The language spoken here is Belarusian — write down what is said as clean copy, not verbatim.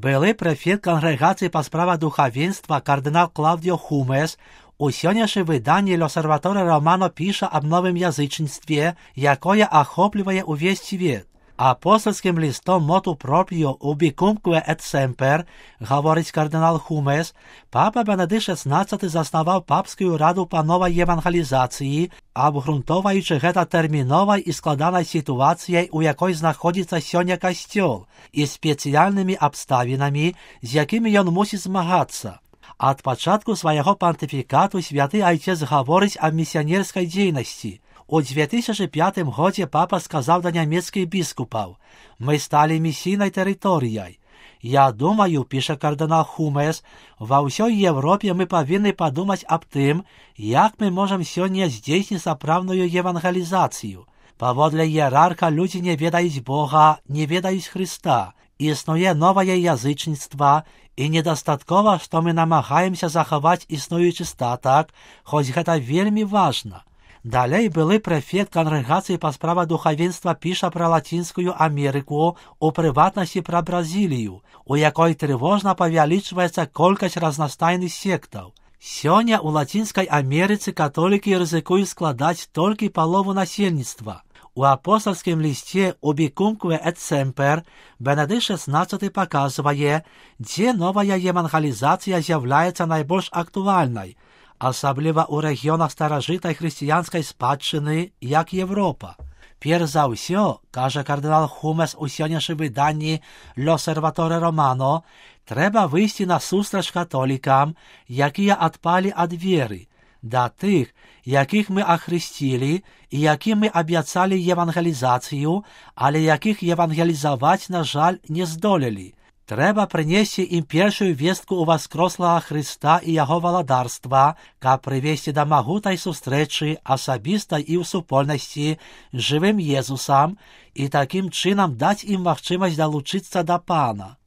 Былы прэфект кангрэгацыі па справах духавенства кардынал Клаўдіо Хумес у сённяшнім выданні «L'Osservatore Romano» піша аб новым язычніцтве, якое ахоплівае ўвесь свет. Апостольскім лістом «Motu proprio ubicumque et semper», гаворыць кардынал Хумес, папа Бенедикт XVI заснаваў папскую раду па новай евангелізацыі, абгрунтоўваючы гэта тэрміновай і складанай сітуацыяй, у якой знаходзіцца сёння касцёл, і спецыяльнымі абставінамі, з якімі ён мусіць змагацца. Ад пачатку свайго пантыфікату святы айцец гаворыць аб місіянерскай дзейнасці. У 2005 годзе папа сказаў да нямецкіх біскупаў: «Мы сталі місійнай тэрыторыяй. Я думаю, піша кардынал Хумес, ва ўсёй Европе мы павінны падумаць аб тым, як мы можам сёння здзейсніць сапраўдную евангелізацыю. Паводле іерарха людзі не ведаюць Бога, не ведаюць Хрыста. Існуе новае язычніцтва, і недастаткова, што мы намагаемся захаваць існуючы статак, хоць гэта вельмі важна». Далей былы прэфект кангрэгацыі па справах духавенства піша пра Лацінскую Амерыку, у прыватнасці пра Бразілію, у якой трывожна павялічваецца колькасць разнастайных сектаў. Сёння ў Лацінскай Амерыцы католікі рызыкуюць складаць толькі палову насельніцтва. У апостольскім лісце «Ubicumque et semper» Бенедикт XVI паказвае, дзе новая евангелізацыя з'яўляецца найбольш актуальнай, асабліва ў рэгіёнах старажытнай хрысціянскай спадчыны, як Европа. Перш за ўсё, кажа кардынал Хумес у сённяшнім выданні «L'Osservatore Romano», трэба выйсці насустрач католікам, якія адпалі ад веры, да тых, якіх мы ахрысцілі і якім мы абяцалі евангелізацыю, але якіх евангелізаваць, на жаль, не здолелі. Трэба прынесці ім першую вестку ў васкрослага Хрыста і яго валадарства, каб прывесці да магутнай сустрэчы асабіста і ў супольнасці з жывым Езусам і такім чынам даць ім магчымасць далучыцца да Пана.